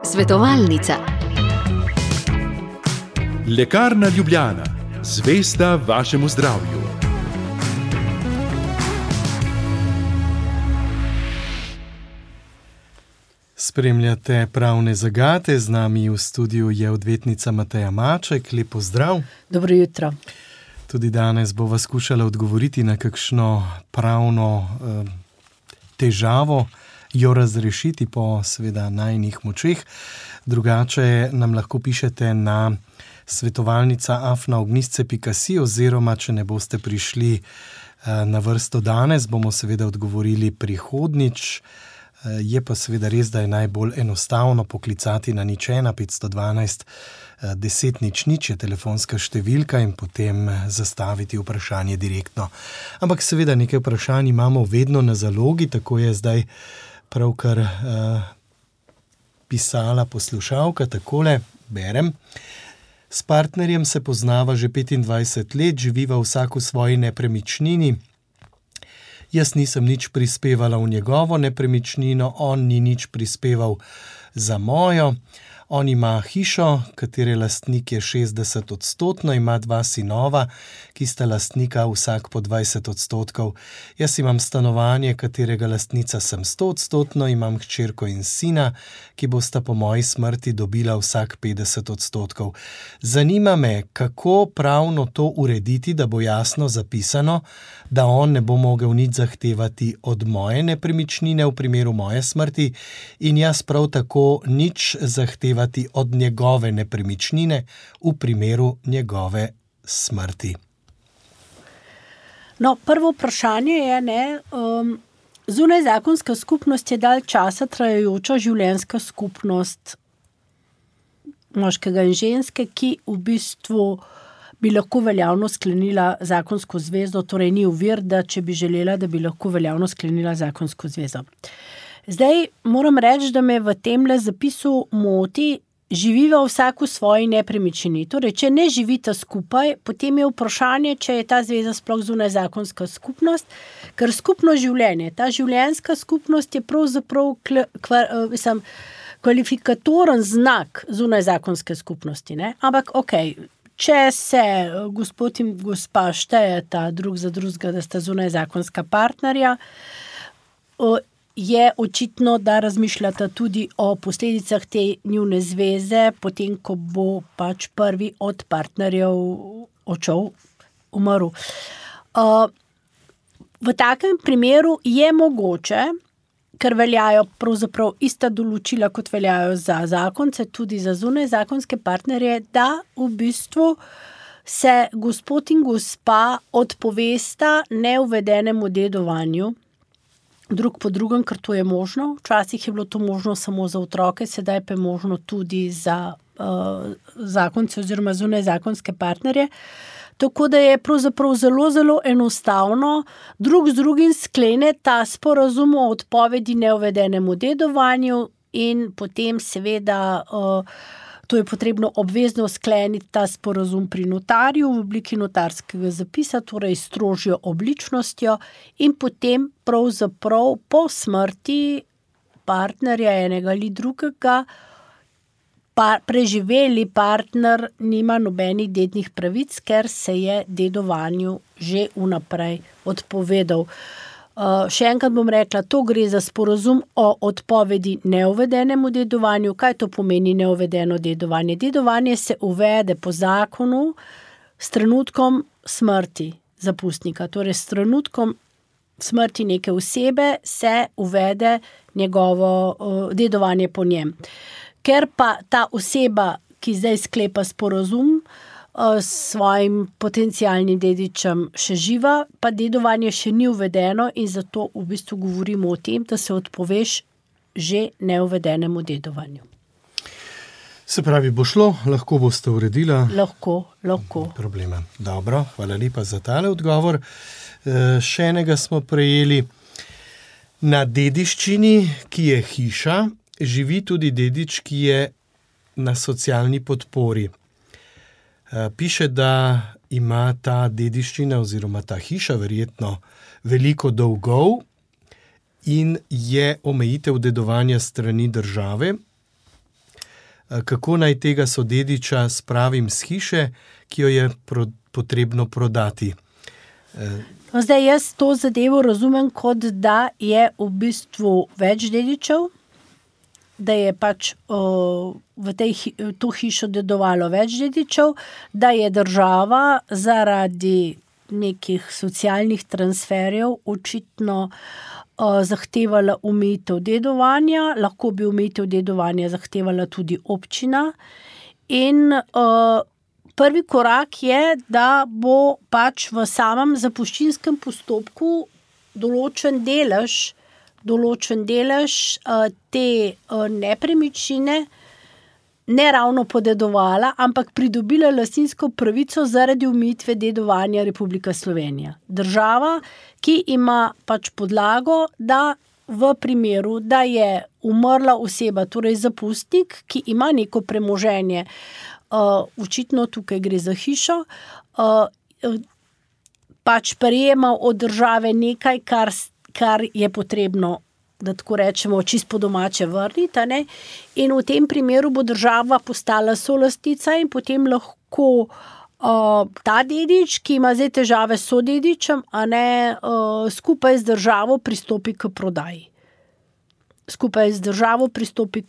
Svetovalnica. Lekarna Ljubljana, zvesta vašemu zdravju. Spremljate Pravne zagate, z nami v studiu je odvetnica Mateja Maček. Lep pozdrav. Dobro jutro. Tudi danes bova skušala odgovoriti na kakšno pravno težavo, jo razrešiti po seveda najinih močeh. Drugače nam lahko pišete na svetovalnica@ognjisce.si oziroma, če ne boste prišli na vrsto danes, bomo seveda odgovorili prihodnjič. Je pa seveda res, da je najbolj enostavno poklicati na 01 512 10 00 je telefonska številka in potem zastaviti vprašanje direktno. Ampak seveda nekaj vprašanj imamo vedno na zalogi, tako je zdaj pravkar pisala poslušalka, takole berem. S partnerjem se poznava že 25 let, živiva vsak v svoji nepremičnini. Jaz nisem nič prispevala v njegovo nepremičnino, on ni nič prispeval za mojo. On ima hišo, katere lastnik je 60%, ima 2 sinova, ki sta lastnika vsak po 20%. Jaz imam stanovanje, katerega lastnica sem 100%, imam hčerko in sina, ki bosta po moji smrti dobila vsak 50%. Zanima me, kako pravno to urediti, da bo jasno zapisano, da on ne bo mogel nič zahtevati od moje nepremičnine v primeru moje smrti in jaz prav tako nič zahtevati od njegove nepremičnine v primeru njegove smrti. No, prvo vprašanje je, zunajzakonska skupnost je dalj časa trajajoča življenjska skupnost moškega in ženske, ki v bistvu bi lahko veljavno sklenila zakonsko zvezo, torej ni ovir, da če bi želela, da bi lahko veljavno sklenila zakonsko zvezo. Zdaj moram reči, da me v temle zapisu moti, živiva vsak v svoji nepremičnini. Torej, če ne živita skupaj, potem je vprašanje, če je ta zveza sploh zunajzakonska skupnost, ker skupno življenje, ta življenjska skupnost je pravzaprav kvalifikatoren znak zunajzakonske skupnosti, ne? Ampak okej, če se gospod in gospa štejeta drug za drugega, da sta zunajzakonska partnerja, je očitno, da razmišljata tudi o posledicah te njune zveze, potem, ko bo pač prvi od partnerjev odšel, umrl. V takem primeru je mogoče, ker veljajo pravzaprav ista določila, kot veljajo za zakonce, tudi za zunajzakonske partnerje, da v bistvu se gospod in gospa odpovesta neuvedenemu dedovanju, drug po drugem, ker to je možno. Včasih je bilo to možno samo za otroke, sedaj pa je možno tudi za zakonce oziroma zunajzakonske partnerje. Tako da je pravzaprav zelo, zelo enostavno drug z drugim sklene ta sporazum o odpovedi neuvedenemu dedovanju in potem seveda to je potrebno obvezno skleniti ta sporazum pri notarju v obliki notarskega zapisa, torej s strožjo obličnostjo in potem pravzaprav po smrti partnerja enega ali drugega preživeli partner nima nobenih dednih pravic, ker se je dedovanju že vnaprej odpovedal. Še enkrat bom rekla, to gre za sporazum o odpovedi neuvedenemu dedovanju. Kaj to pomeni neuvedeno dedovanje? Dedovanje se uvede po zakonu s trenutkom smrti zapustnika. Torej s trenutkom smrti neke osebe se uvede njegovo dedovanje po njem. Ker pa ta oseba, ki zdaj sklepa sporazum s svojim potencialnim dedičem še živa, pa dedovanje še ni uvedeno in zato v bistvu govorimo o tem, da se odpoveš že neuvedenemu dedovanju. Se pravi, bo šlo, lahko boste uredila? Lahko. Problema. Dobro, hvala lepa za tale odgovor. Še enega smo prejeli. Na dediščini, ki je hiša, živi tudi dedič, ki je na socialni podpori. Piše, da ima ta dediščina oziroma ta hiša verjetno veliko dolgov, in je omejitev dedovanja strani države. Kako naj tega sodediča spravim z hiše, ki jo je potrebno prodati? Zdaj, jaz to zadevo razumem kot, da je v bistvu več dedičev, da je pač v to hišo dedovalo več dedičev, da je država zaradi nekih socialnih transferjev očitno zahtevala omejitev dedovanja, lahko bi omejitev dedovanja zahtevala tudi občina in prvi korak je, da bo pač v samem zapuščinskem postopku določen delež te nepremičnine ne ravno podedovala, ampak pridobila lastninsko pravico zaradi omejitve dedovanja Republika Slovenija. Država, ki ima pač podlago, da v primeru, da je umrla oseba, torej zapustnik, ki ima neko premoženje, očitno tukaj gre za hišo, pač prejema od države nekaj, kar je potrebno, da tako rečemo, čisto po domače vrniti, ne? In v tem primeru bo država postala solastnica in potem lahko ta dedič, ki ima zdaj težave s sodedičem, skupaj z državo pristopi k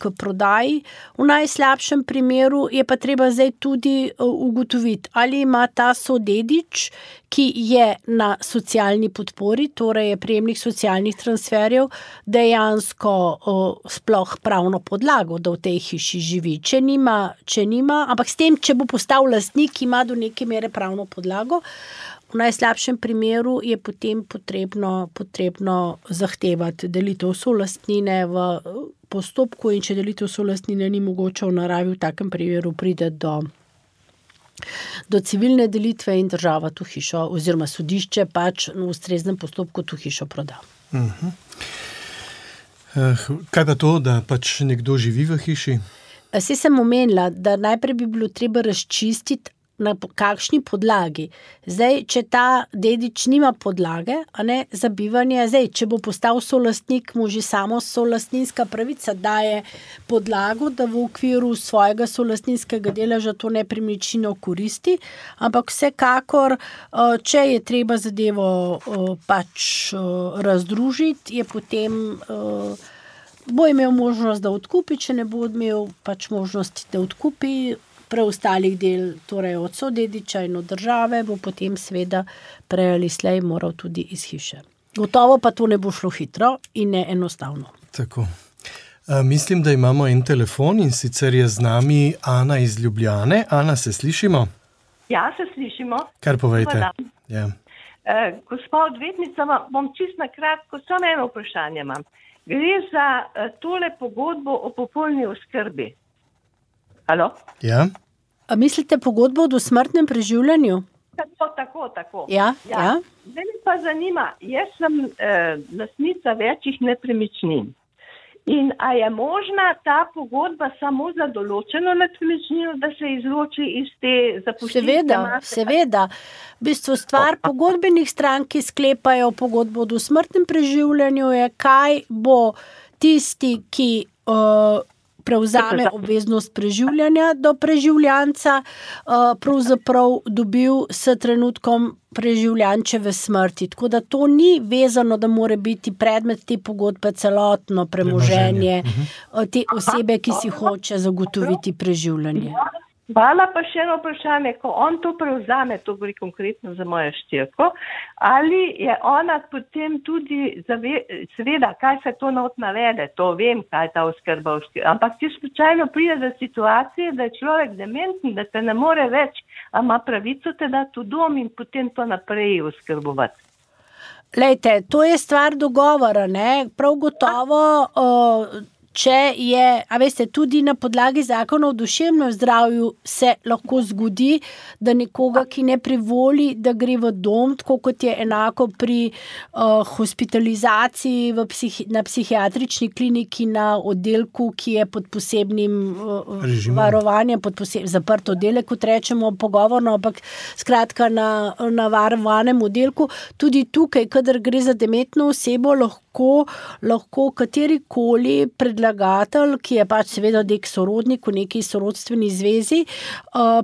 prodaji. V najslabšem primeru je pa treba zdaj tudi ugotoviti, ali ima ta sodedič, ki je na socialni podpori, torej je prejemnik socialnih transferjev, dejansko sploh pravno podlago, da v tej hiši živi. Če nima, ampak s tem, če bo postal lastnik, ima do neke mere pravno podlago, v najslabšem primeru je potem potrebno zahtevati delitev solastnine v postopku in če delitev solastnine ni mogoče v naravi, v takem primeru pride do civilne delitve in država tu hišo oziroma sodišče pač v ustreznem postopku tu hišo proda. Kaj pa to, da pač nekdo živi v hiši? Saj sem omenila, da najprej bi bilo treba razčistiti, na kakšni podlagi. Zdaj, če ta dedič nima podlage, za bivanje, zdaj, če bo postal solastnik, mu že samo solastninska pravica daje podlago, da v okviru svojega solastninskega deleža to nepremičnino koristi, ampak vsekakor, če je treba zadevo pač razdružiti, je potem bo imel možnost, da odkupi, če ne bo imel pač možnosti, da odkupi preostalih del, torej od sodediča in od države, bo potem seveda prej ali slej moral tudi iz hiše. Gotovo pa to ne bo šlo hitro in ne enostavno. Tako. Mislim, da imamo en telefon in sicer je z nami Ana iz Ljubljane. Ana, se slišimo? Ja, se slišimo. Kar povejte. Ja. Gospa odvetnica, bom čisto na kratko, samo eno vprašanje imam. Gre za tole pogodbo o popolni oskrbi. Halo? Ja. A mislite pogodbo o dosmrtnem preživljanju? Tako. Ja. Zdaj me pa zanima, jaz sem lastnica večjih nepremičnin. In a je možna ta pogodba samo za določeno nepremičnino, da se izloči iz te zapuščinske mase? Seveda. V bistvu stvar pogodbenih strank, ki sklepajo pogodbo o dosmrtnem preživljanju, je, kaj bo tisti, ki prevzame obveznost preživljanja do preživljanca, pravzaprav dobil s trenutkom preživljančeve smrti. Tako da to ni vezano, da mora biti predmet te pogodbe celotno premoženje te osebe, ki si hoče zagotoviti preživljanje. Hvala, pa še eno vprašanje, ko on to prevzame, to gre konkretno za mojo štirko, ali je ona potem tudi, seveda, kaj se to not navede, to vem, kaj je ta oskrba, ampak če slučajno pride do situacije, da je človek dementen, da te ne more več, a ima pravico te dati v dom in potem to naprej oskrbovati. Lejte, to je stvar dogovora, ne? Prav gotovo če je, tudi na podlagi zakona o duševnem zdravju se lahko zgodi, da nekoga, ki ne privoli, da gre v dom, tako kot je enako pri hospitalizaciji na psihiatrični kliniki na oddelku, ki je pod posebnim varovanjem, zaprt oddelek, kot rečemo pogovorno, ampak skratka na varovanem oddelku. Tudi tukaj, kadar gre za dementno osebo, lahko lahko katerikoli predlagatelj, ki je pač seveda nek sorodnik v neki sorodstveni zvezi,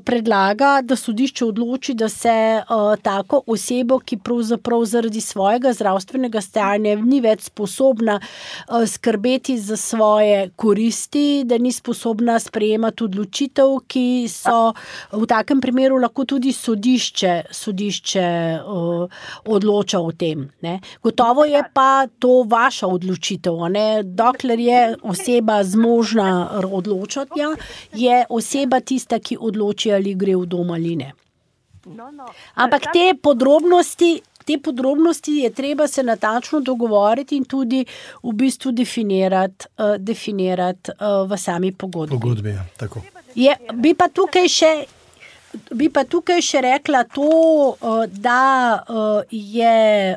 predlaga, da sodišče odloči, da se tako osebo, ki pravzaprav zaradi svojega zdravstvenega stanja ni več sposobna skrbeti za svoje koristi, da ni sposobna sprejemati odločitev, ki so v takem primeru lahko tudi sodišče odloča o tem. Ne. Gotovo je pa to vaša odločitev. Ne. Dokler je oseba zmožna odločati, je oseba tista, ki odloči, ali gre v dom ali ne. Ampak te podrobnosti je treba se natančno dogovoriti in tudi v bistvu definirati v sami pogodbi. Pogodbi, ja, tako. Bi pa tukaj še rekla to, da je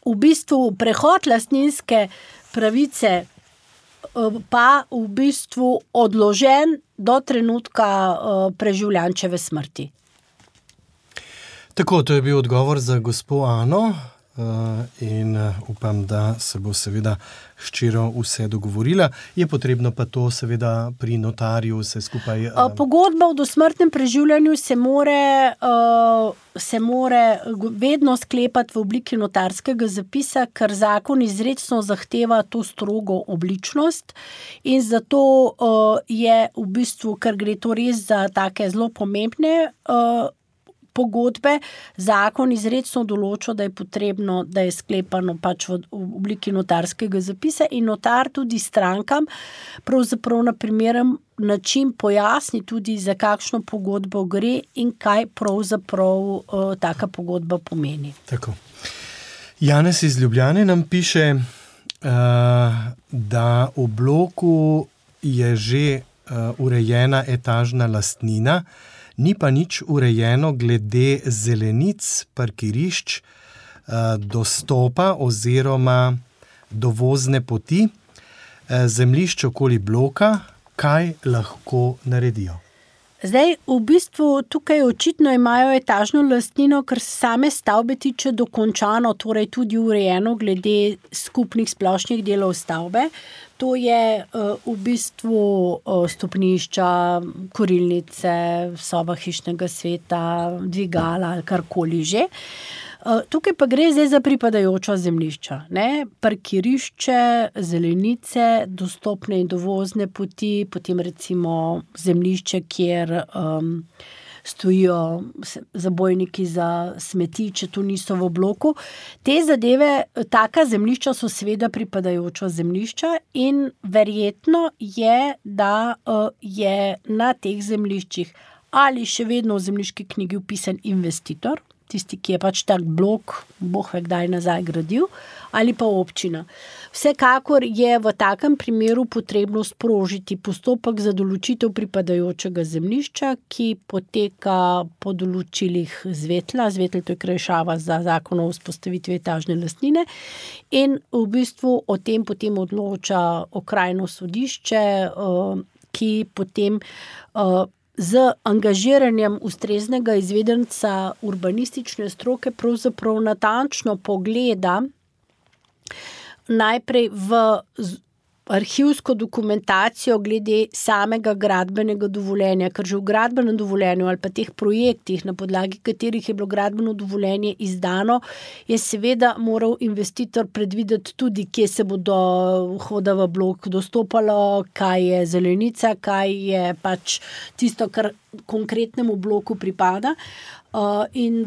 v bistvu prehod lastninske pravice pa v bistvu odložen do trenutka preživljančeve smrti. Tako, to je bil odgovor za gospo Ano in upam, da se bo seveda hčera vse dogovorila. Je potrebno pa to seveda pri notarju vse skupaj... Pogodba o dosmrtnem preživljanju se more vedno sklepati v obliki notarskega zapisa, ker zakon izrecno zahteva to strogo obličnost in zato je v bistvu, ker gre to res za take zelo pomembne pogodbe, zakon izrecno določa, da je potrebno, da je sklepano pač v obliki notarskega zapisa in notar tudi strankam pravzaprav na primeren način pojasni tudi, za kakšno pogodbo gre in kaj pravzaprav taka pogodba pomeni. Tako. Janez iz Ljubljane nam piše, da v bloku je že urejena etažna lastnina, ni pa nič urejeno glede zelenic, parkirišč, dostopa oziroma dovozne poti, zemljišč okoli bloka, kaj lahko naredijo? Zdaj, v bistvu tukaj očitno imajo etažno lastnino, ker se same stavbe tiče dokončano, torej tudi urejeno glede skupnih splošnih delov stavbe. To je v bistvu stopnišča, kurilnice, soba hišnega sveta, dvigala ali karkoli že. Tukaj pa gre zdaj za pripadajoča zemljišča. Ne? Parkirišče, zelenice, dostopne in dovozne poti, potem recimo zemljišče, kjer stojijo zabojniki za smeti, če tu niso v bloku. Te zadeve, taka zemljišča so seveda pripadajoča zemljišča in verjetno je, da je na teh zemljiščih ali še vedno v zemljiški knjigi vpisan investitor, tisti, ki je pač tak blok, boh ve kdaj nazaj gradil, ali pa občina. Vsekakor je v takem primeru potrebno sprožiti postopek za določitev pripadajočega zemljišča, ki poteka po določilih Zvetla. Zvetl to je krajšava za zakon o vzpostavitvi etažne lastnine in v bistvu o tem potem odloča okrajno sodišče, ki potem z angažiranjem ustreznega izvedenca urbanistične stroke pravzaprav natančno pogleda najprej v arhivsko dokumentacijo glede samega gradbenega dovoljenja, ker že v gradbenem dovoljenju ali pa teh projektih, na podlagi katerih je bilo gradbeno dovoljenje izdano, je seveda moral investitor predvideti tudi, kje se bodo vhoda v blok dostopalo, kaj je zelenica, kaj je pač tisto, kar konkretnemu bloku pripada. In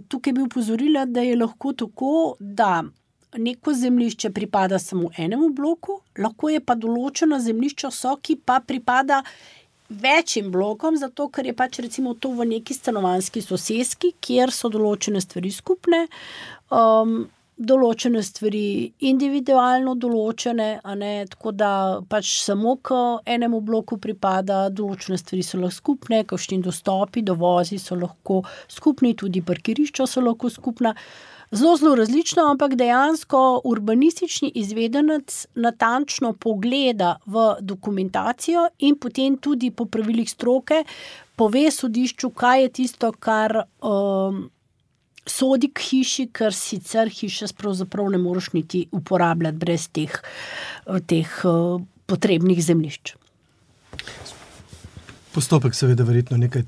tukaj bi upozorila, da je lahko tako, da neko zemljišče pripada samo enemu bloku, lahko je pa določeno zemljišče ki pa pripada večjim blokom, zato ker je pač recimo to v neki stanovanjski soseski, kjer so določene stvari skupne, določene stvari individualno določene, a ne, tako da pač samo k enemu bloku pripada, določene stvari so lahko skupne, kakšni dostopi, dovozi so lahko skupni, tudi parkirišča so lahko skupna. Zelo različno, ampak dejansko urbanistični izvedenec natančno pogleda v dokumentacijo in potem tudi po pravilih stroke pove sodišču, kaj je tisto, kar sodi k hiši, ker sicer hiša pravzaprav ne moreš niti uporabljati brez teh potrebnih zemljišč. Postopek seveda verjetno nekaj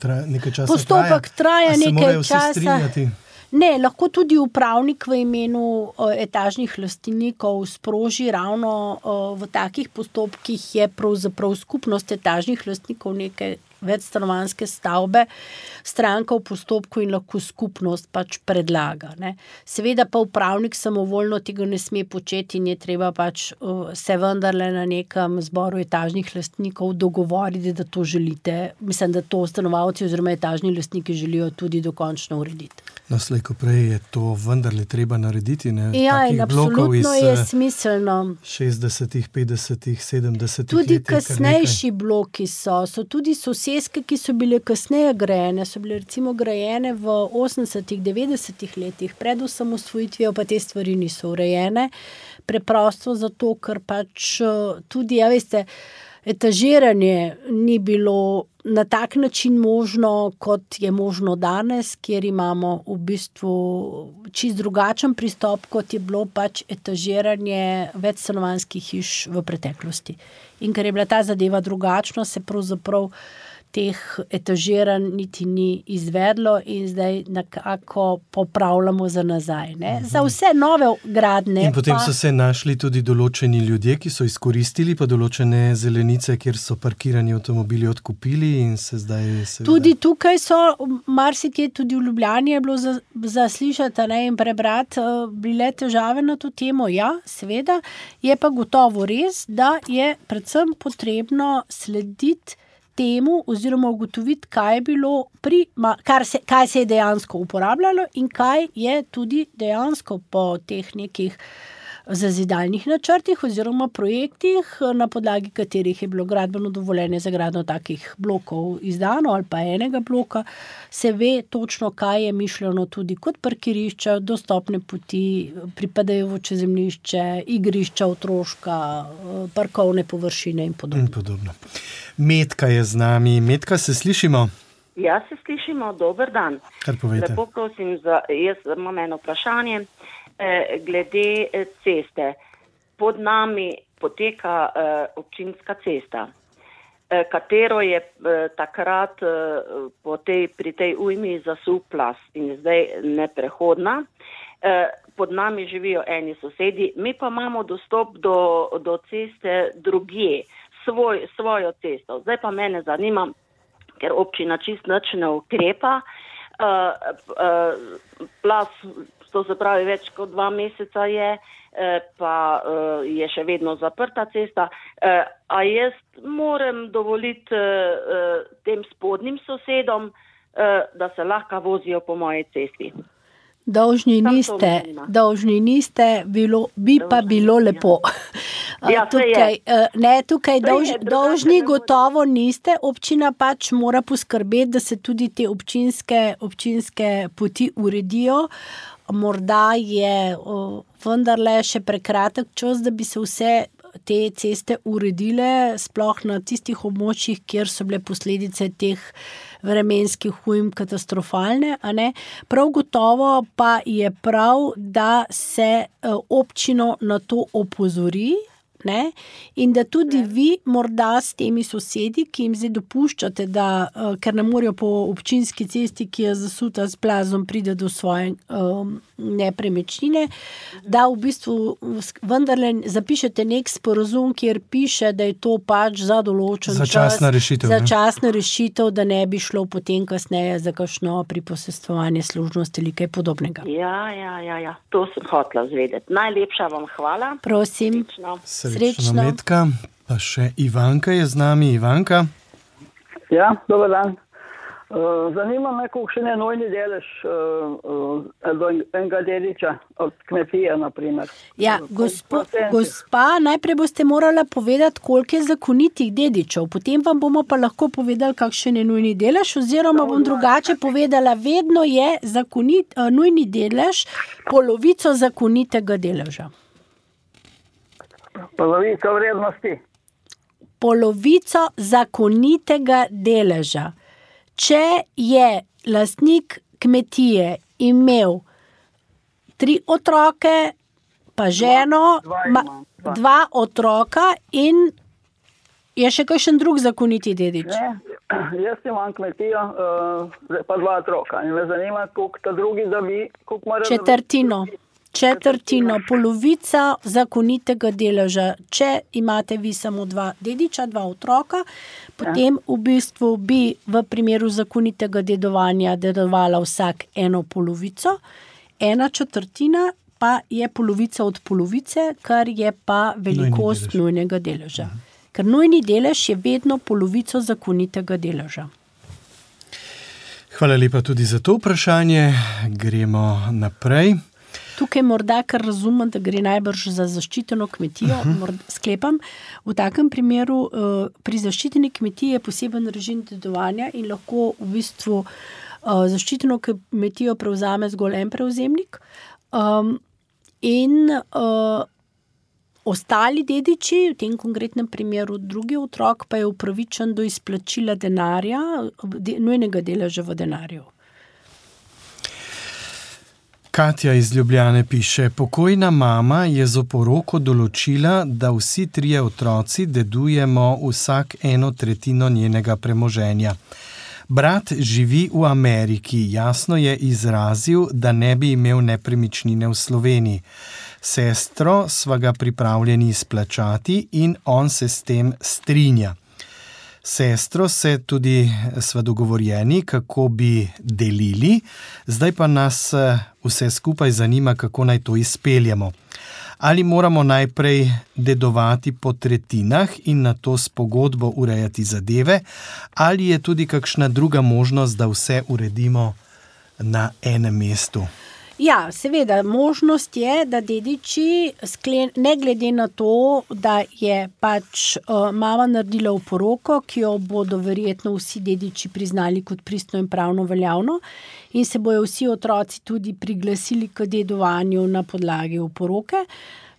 časa Postopek traja nekaj časa. Strinjati? Ne, lahko tudi upravnik v imenu etažnih lastnikov sproži ravno v takih postopkih je pravzaprav skupnost etažnih lastnikov neke večstanovanjske stavbe, stranka v postopku in lahko skupnost pač predlaga. Ne. Seveda pa upravnik samovoljno tega ne sme početi in je treba pač se vendarle na nekem zboru etažnih lastnikov dogovoriti, da to želite. Mislim, da to stanovalci oziroma etažni lastniki želijo tudi dokončno urediti. No, slej ko prej je to vendarle treba narediti, ne? Ja, in absolutno je smiselno. 60-ih, 50-ih, 70-ih tudi kasnejši bloki so tudi soseske, ki so bile kasneje grajene, so bile recimo grajene v 80-ih, 90-ih letih, pred osamosvojitvijo pa te stvari niso urejene, preprosto zato, ker pač tudi, ja veste, etažiranje ni bilo na tak način možno, kot je možno danes, kjer imamo v bistvu čist drugačen pristop, kot je bilo pač etažiranje večstanovanjskih hiš v preteklosti. In ker je bila ta zadeva drugačna, se pravzaprav teh etažiranj niti ni izvedlo in zdaj nekako popravljamo za nazaj. Ne? Za vse nove gradnje. In potem so se našli tudi določeni ljudje, ki so izkoristili pa določene zelenice, kjer so parkirani avtomobili odkupili in se zdaj seveda... Tudi tukaj so, marsikje tudi v Ljubljani je bilo za slišati in prebrati, bile težave na to temo. Ja, seveda, je pa gotovo res, da je predvsem potrebno slediti temu oziroma ugotoviti, kaj je bilo kaj se je dejansko uporabljalo in kaj je tudi dejansko po teh nekih zazidalnih načrtih oziroma projektih, na podlagi katerih je bilo gradbeno dovoljenje za gradnjo takih blokov izdano ali pa enega bloka, se ve točno, kaj je mišljeno tudi kot parkirišča, dostopne poti, pripadajoče zemljišče, igrišča otroška, parkovne površine in podobno. Metka je z nami. Metka, se slišimo? Ja, se slišimo. Dober dan. Kar povejte. Lepo prosim, jaz imam eno vprašanje glede ceste. Pod nami poteka občinska cesta, katero je takrat pri tej ujmi zasul plaz in je zdaj neprehodna. Pod nami živijo eni sosedi, mi pa imamo dostop do ceste drugje, svojo cesto. Zdaj pa mene zanima, ker občina čist nič ne ukrepa, plaz, to se pravi več kot 2 meseca je, pa je še vedno zaprta cesta. A jaz moram dovoliti tem spodnjim sosedom, da se lahko vozijo po moji cesti? Dolžni niste, bi pa bilo lepo. Ja, tukaj dolžni gotovo niste, občina pač mora poskrbeti, da se tudi te občinske poti uredijo. Morda je vendarle še prekratek čas, da bi se vse te ceste uredile, sploh na tistih območjih, kjer so bile posledice teh vremenskih ujm katastrofalne, a ne? Prav gotovo pa je prav, da se občino na to opozori, ne? In da tudi vi morda s temi sosedi, ki jim zdaj dopuščate, da, ker ne morejo po občinski cesti, ki je zasuta s plazom, pride do svoje nepremičnine, da v bistvu vendarle zapišete nek sporazum, kjer piše, da je to pač za določen začasna rešitev, da ne bi šlo potem kasneje za kakšno priposestvovanje služnosti ali kaj podobnega. Ja, to sem hotela zvedeti. Najlepša vam hvala. Prosim. Srečno. Metka, pa še Ivanka je z nami. Ivanka? Ja, dober dan. Zanima me, kolikšen je nujni delež enega dediča od kmetije, na primer. Ja, gospa, najprej boste morala povedati, koliko je zakonitih dedičev, potem vam bomo pa lahko povedali, kakšen je nujni delež, oziroma bom drugače povedala, vedno je nujni delež polovico zakonitega deleža. Polovico vrednosti? Polovico zakonitega deleža. Če je lastnik kmetije imel 3 otroke, pa ženo, dva otroka in je še kakšen drug zakoniti dedič? Ne, jaz imam kmetijo, pa 2 otroka in me zanima, koliko ta drugi dobi, koliko mora... Četrtino, polovica zakonitega deleža. Če imate vi samo 2 dediča, 2 otroka, potem v bistvu bi v primeru zakonitega dedovanja dedovala vsak 1/4, 1/4 pa je polovica od polovice, kar je pa velikost nujnega deleža. Ker nujni delež je vedno polovico zakonitega deleža. Hvala lepa tudi za to vprašanje. Gremo naprej. Tukaj morda, kar razumem, da gre najbrž za zaščiteno kmetijo, sklepam. V takem primeru pri zaščiteni kmetiji je poseben režim dedovanja in lahko v bistvu zaščiteno kmetijo prevzame zgolj en prevzemnik. Ostali dediči, v tem konkretnem primeru drugi otrok, pa je upravičen do izplačila denarja, nujnega deleža v denarju. Katja iz Ljubljane piše, pokojna mama je z oporoko določila, da vsi 3 otroci dedujemo vsak 1/3 njenega premoženja. Brat živi v Ameriki, jasno je izrazil, da ne bi imel nepremičnine v Sloveniji. Sestro sva ga pripravljeni izplačati in on se s tem strinja. Sestro se tudi sva dogovorjeni, kako bi delili, zdaj pa nas vse skupaj zanima, kako naj to izpeljemo. Ali moramo najprej dedovati po tretjinah in nato s pogodbo urejati zadeve, ali je tudi kakšna druga možnost, da vse uredimo na enem mestu? Ja, seveda, možnost je, da dediči, ne glede na to, da je pač mama naredila oporoko, ki jo bodo verjetno vsi dediči priznali kot pristno in pravno veljavno in se bojo vsi otroci tudi priglasili k dedovanju na podlagi oporoke,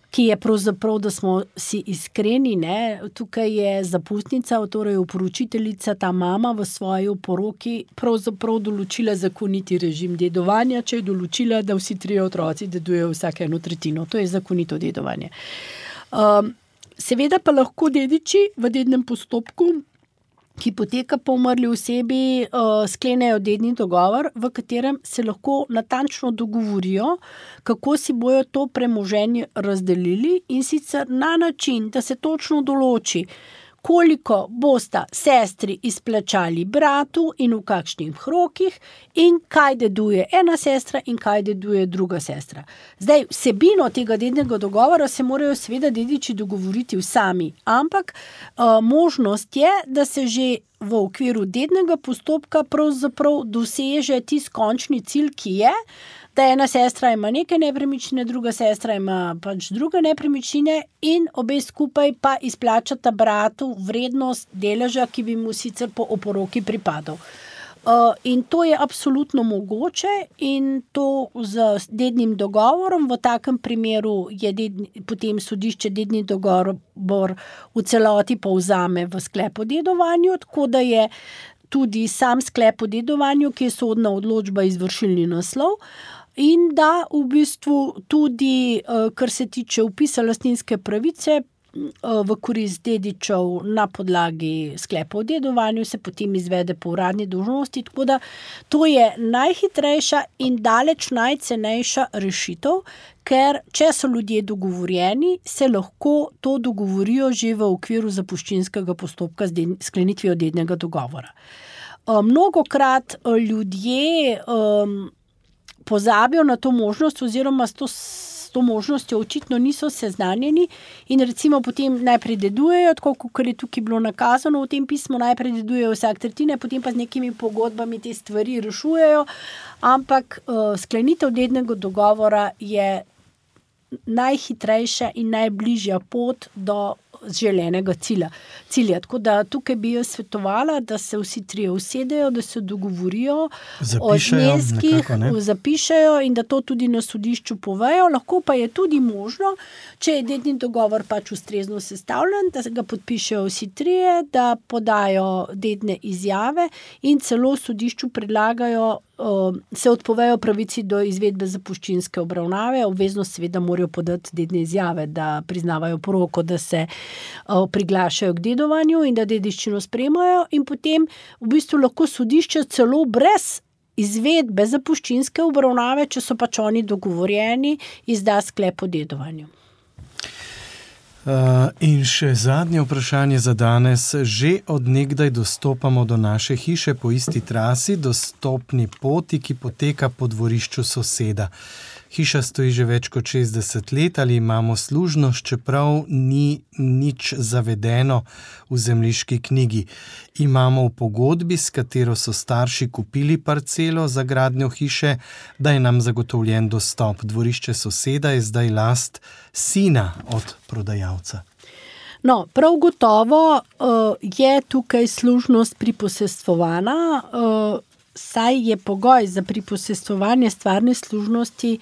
ki je pravzaprav, da smo si iskreni, ne? Tukaj je zapustnica, torej oporočiteljica, ta mama v svoji oporoki pravzaprav določila zakoniti režim dedovanja, če je določila, da vsi 3 otroci dedujejo vsak 1/3. To je zakonito dedovanje. Seveda pa lahko dediči v dednem postopku, ki poteka po umrli osebi, sklenejo dedni dogovor, v katerem se lahko natančno dogovorijo, kako si bojo to premoženje razdelili in sicer na način, da se točno določi, koliko bosta sestri izplačali bratu in v kakšnih rokih in kaj deduje ena sestra in kaj deduje druga sestra. Zdaj, vsebino tega dednega dogovora se morajo seveda dediči dogovoriti sami, ampak možnost je, da se že v okviru dednega postopka pravzaprav doseže tisti končni cilj, ki je, da ena sestra ima neke nepremičnine, druga sestra ima pač druge nepremičnine in obe skupaj pa izplačata bratu vrednost deleža, ki bi mu sicer po oporoki pripadal. In to je absolutno mogoče in to z dednim dogovorom, v takem primeru je potem sodišče dedni dogovor v celoti povzame v sklep o dedovanju, tako da je tudi sam sklep o dedovanju, ki je sodna odločba, izvršilni naslov, in da v bistvu tudi, kar se tiče vpisa lastninske pravice v korist dedičev na podlagi sklepa o dedovanju, se potem izvede po uradni dolžnosti, tako da to je najhitrejša in daleč najcenejša rešitev, ker če so ljudje dogovorjeni, se lahko to dogovorijo že v okviru zapuščinskega postopka z sklenitvijo dednega dogovora. Mnogokrat ljudje pozabijo na to možnost oziroma s to možnostjo očitno niso seznanjeni in recimo potem najprej dedujejo, tako kot je tukaj bilo nakazano v tem pismu, najprej dedujejo vsak tretjine, potem pa z nekimi pogodbami te stvari rešujejo, ampak sklenitev dednega dogovora je najhitrejša in najbližja pot do želenega cilja. Tako da tukaj bi jaz svetovala, da se vsi 3 usedejo, da se dogovorijo o zneskih, zapišejo in da to tudi na sodišču povejo. Lahko pa je tudi možno, če je dedni dogovor pač ustrezno sestavljen, da ga podpišejo vsi 3, da podajo dedne izjave in celo sodišču predlagajo se odpovejo pravici do izvedbe zapuščinske obravnave, obveznost seveda morajo podati dedne izjave, da priznavajo poroko, da se priglašajo k dedovanju in da dediščino sprejemajo, in potem v bistvu lahko sodišče celo brez izvedbe zapuščinske obravnave, če so pač oni dogovorjeni, izda sklep o dedovanju. In še zadnje vprašanje za danes. Že od nekdaj dostopamo do naše hiše po isti trasi, dostopni poti, ki poteka po dvorišču soseda. Hiša stoji že več kot 60 let, ali imamo služnost, čeprav ni nič zavedeno v zemljiški knjigi. Imamo v pogodbi, s katero so starši kupili parcelo za gradnjo hiše, da je nam zagotovljen dostop. Dvorišče soseda je zdaj last sina od prodajalca. No, prav gotovo je tukaj služnost priposestvovana, saj je pogoj za priposestvovanje stvarne služnosti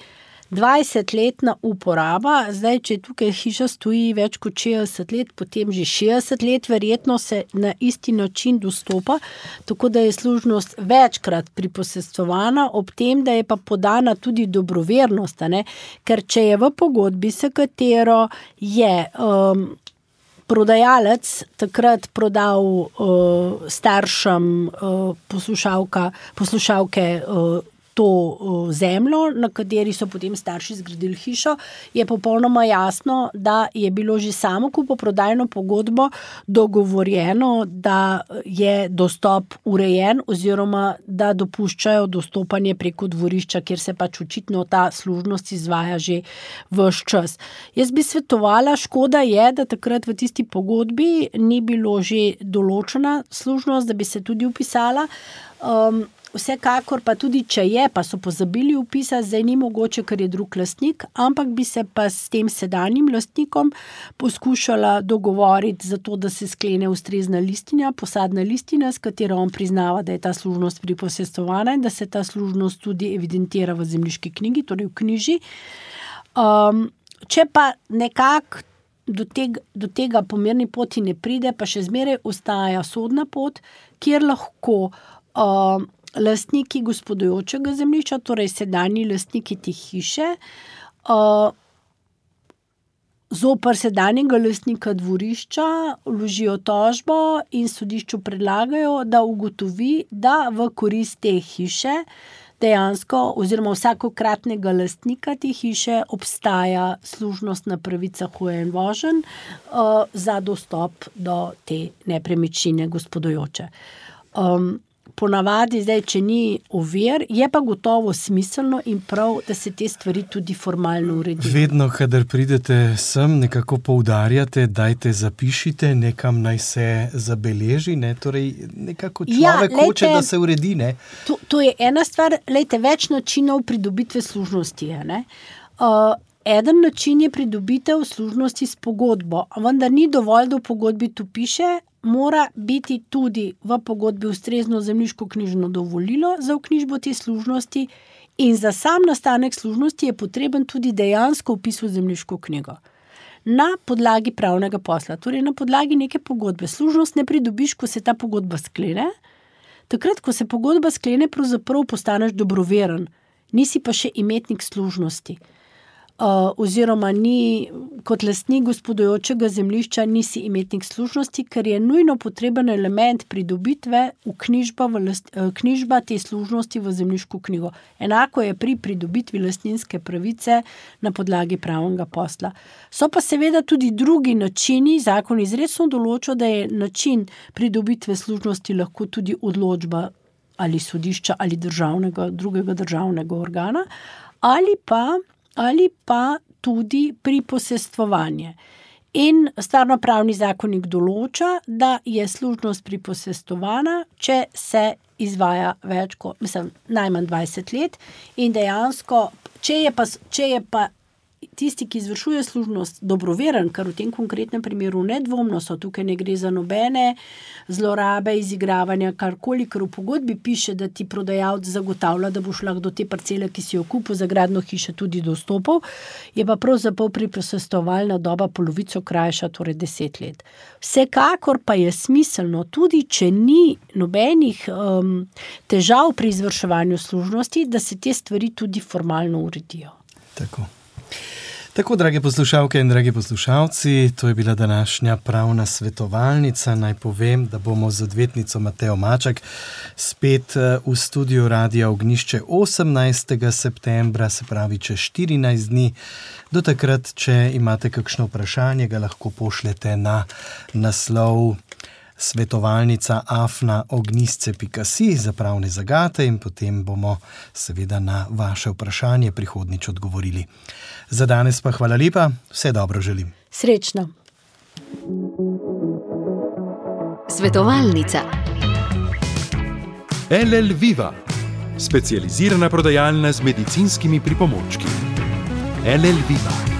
20-letna uporaba. Zdaj, če tukaj hiša stoji več kot 60 let, potem že 60 let, verjetno se na isti način dostopa, tako da je služnost večkrat priposestvovana, ob tem, da je pa podana tudi dobrovernost, ker če je v pogodbi, s katero je prodajalec takrat prodal staršem poslušalke to zemljo, na kateri so potem starši zgradili hišo, je popolnoma jasno, da je bilo že samo kupoprodajno pogodbo dogovorjeno, da je dostop urejen oziroma da dopuščajo dostopanje preko dvorišča, kjer se pač očitno ta služnost izvaja že ves čas. Jaz bi svetovala, škoda je, da takrat v tisti pogodbi ni bilo že določena služnost, da bi se tudi vpisala. Vsekakor pa tudi, če je, pa so pozabili vpisati, zdaj ni mogoče, ker je drug lastnik, ampak bi se pa s tem sedanjim lastnikom poskušala dogovoriti za to, da se sklene ustrezna listinja, posadna listina, s katero on priznava, da je ta služnost priposestvovana in da se ta služnost tudi evidentira v zemljiški knjigi, torej v knjiži. Če pa nekako do tega po mirni poti ne pride, pa še zmeraj ostaja sodna pot, kjer lahko lastniki gospodujočega zemljišča, torej sedanji lastniki te hiše, zoper sedanjega lastnika dvorišča vložijo tožbo in sodišču predlagajo, da ugotovi, da v korist te hiše dejansko oziroma vsakokratnega lastnika te hiše obstaja služnostna pravica hoje in voženj za dostop do te nepremičnine gospodujoče. Ponavadi, zdaj, če ni ovir, je pa gotovo smiselno in prav, da se te stvari tudi formalno uredijo. Vedno, kadar pridete sem, nekako poudarjate, dajte zapišite, nekam naj se zabeleži, torej nekako človek hoče, da se uredi, ne? To je ena stvar, več načinov pridobitve služnosti je, Eden način je pridobitev služnosti s pogodbo, vendar ni dovolj, da v pogodbi tu piše, mora biti tudi v pogodbi ustrezno zemljiško-knjižno dovolilo za vknjižbo te služnosti in za sam nastanek služnosti je potreben tudi dejansko vpis v zemljiško knjigo. Na podlagi pravnega posla, torej na podlagi neke pogodbe. Služnost ne pridobiš, ko se ta pogodba sklene. Takrat, ko se pogodba sklene, pravzaprav postaneš dobroveren, nisi pa še imetnik služnosti. Oziroma ni kot lastnik gospodujočega zemljišča nisi imetnik služnosti, ker je nujno potreben element pridobitve knjižba te služnosti v zemljiško knjigo. Enako je pri pridobitvi lastninske pravice na podlagi pravnega posla. So pa seveda tudi drugi načini, zakon izrecno določa, da je način pridobitve služnosti lahko tudi odločba ali sodišča ali drugega državnega organa, ali pa tudi priposestvovanje. In stvarnopravni zakonik določa, da je služnost priposestvovana, če se izvaja najmanj 20 let in dejansko, če je pa tisti, ki izvršuje služnost, dobroveren, kar v tem konkretnem primeru nedvomno so, tukaj ne gre za nobene zlorabe, izigravanja, karkoli, ker v pogodbi piše, da ti prodajalec zagotavlja, da boš lahko do te parcele, ki si jo kupil za gradnjo hiše, tudi dostopal, je pa pravzaprav priposestovalna doba polovico krajša, torej 10 let. Vsekakor pa je smiselno, tudi če ni nobenih težav pri izvrševanju služnosti, da se te stvari tudi formalno uredijo. Tako, drage poslušalke in dragi poslušalci, to je bila današnja pravna svetovalnica. Naj povem, da bomo z odvetnico Matejo Maček spet v studiu Radia Ognjišče 18. septembra, se pravi čez 14 dni. Do takrat, če imate kakšno vprašanje, ga lahko pošljete na naslov svetovalnica@ognjisce.si za pravne zagate in potem bomo seveda na vaše vprašanje prihodnjič odgovorili. Za danes pa hvala lepa, vse dobro želim. Srečno. Svetovalnica. LL Viva, specializirana prodajalna z medicinskimi pripomočki. LL Viva.